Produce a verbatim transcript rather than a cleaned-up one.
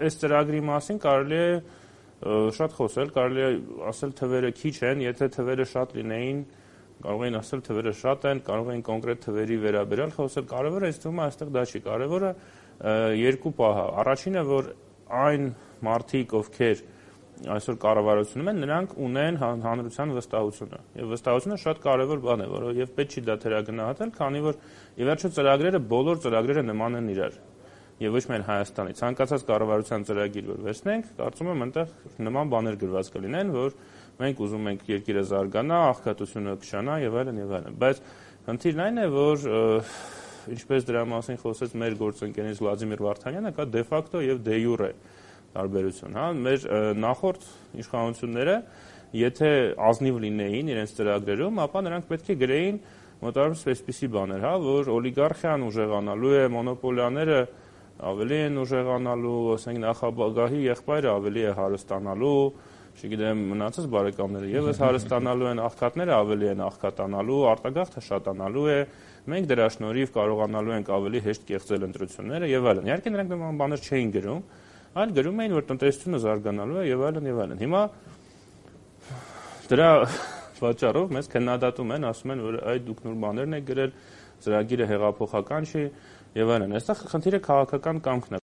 այս ծրագրի մասին կարելի է շատ խոսել, կարելի է ասել թվերը քիչ են, եթե թվերը շատ լինեին, կարող էին ասել թվերը շատ են, կարող էին կոնկրետ թվերի վերաբերյալ խոսել, կարևորը ինձ թվում է այստեղ դա չի, կարևորը երկու պահ է, առաջինը, որ այն մարդիկ, ովքեր այսօր կառավարությունում են, նրանք ունեն հանրության վստահությունը, եւ վստահությունը շատ կարևոր բան է, որովհետեւ պետք չի դա թերագնահատել, քանի որ ի վերջո ծրագրերը, բոլոր ծրագրերը նման են իրար, եւ ոչ միայն Հայաստանի, ցանկացած կառավարության ծրագիր որ վերցնենք, կարծում եմ այնտեղ նման բաներ գրված կլինեն, որ մենք ուզում ենք երկիրը զարգանա, աղքատությունը կշանա եւ այլն եւ այլն, բայց խնդիրն այն է, որ ինչպես դրա մասին խոսեց մեր գործընկերներից Վլադիմիր Վարդանյանը, կա դե ֆակտո եւ դե յուրե տարբերություն, հա, մեր նախորդ իշխանությունները, եթե ազնիվ լինեին իրենց ծրագրերում, ապա նրանք պետք է գրեին մոտավորապես այսպիսի բաներ, հա, որ օլիգարխիան ուժեղանալու է, մոնոպոլիաները ավելի են ուժեղանալու, ասենք նախագահի եղբայրը ավելի է հարստանալու, չգիտեմ, մնացած բարեկամները եւս հարստանալու են, աղքատները ավելի են աղքատանալու, արտագաղթը շատանալու է, մենք դրա շնորհիվ կարողանալու ենք ավելի հեշտ կեղծել ընտրությունները եւ այլն։ Իհարկե նրանք նման բաներ չէին գրում, այլ գրում էին, որ տնտեսությունը զարգանալու է եւ այլն եւ այլն։ Հիմա դրա պատճառով մեզ քննադատում են, ասում են, որ այ դուք նոր բաներն եք գրել, ծրագիրը հեղափոխական չի եւ այլն։ Այստեղ խնդիրը քաղաքական կամքն է։